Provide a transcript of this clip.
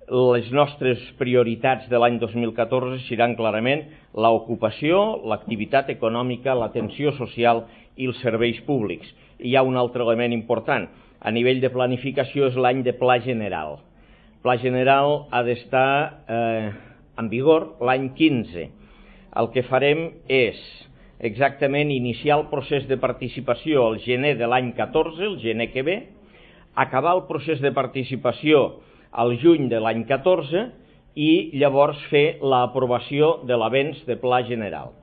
les nostres prioritats de l'any 2014 seran clarament l'ocupació, l'activitat econòmica, l'atenció social i els serveis públics. I hi ha un altre element important. A nivell de planificació és l'any de Pla General. El Pla General ha d'estar en vigor l'any 15. El que farem és exactament iniciar el procés de participació al gener de l'any 14, el gener que ve, acabar el procés de participació al juny de l'any 14 i llavors fer l'aprovació de l'avenç de Pla General.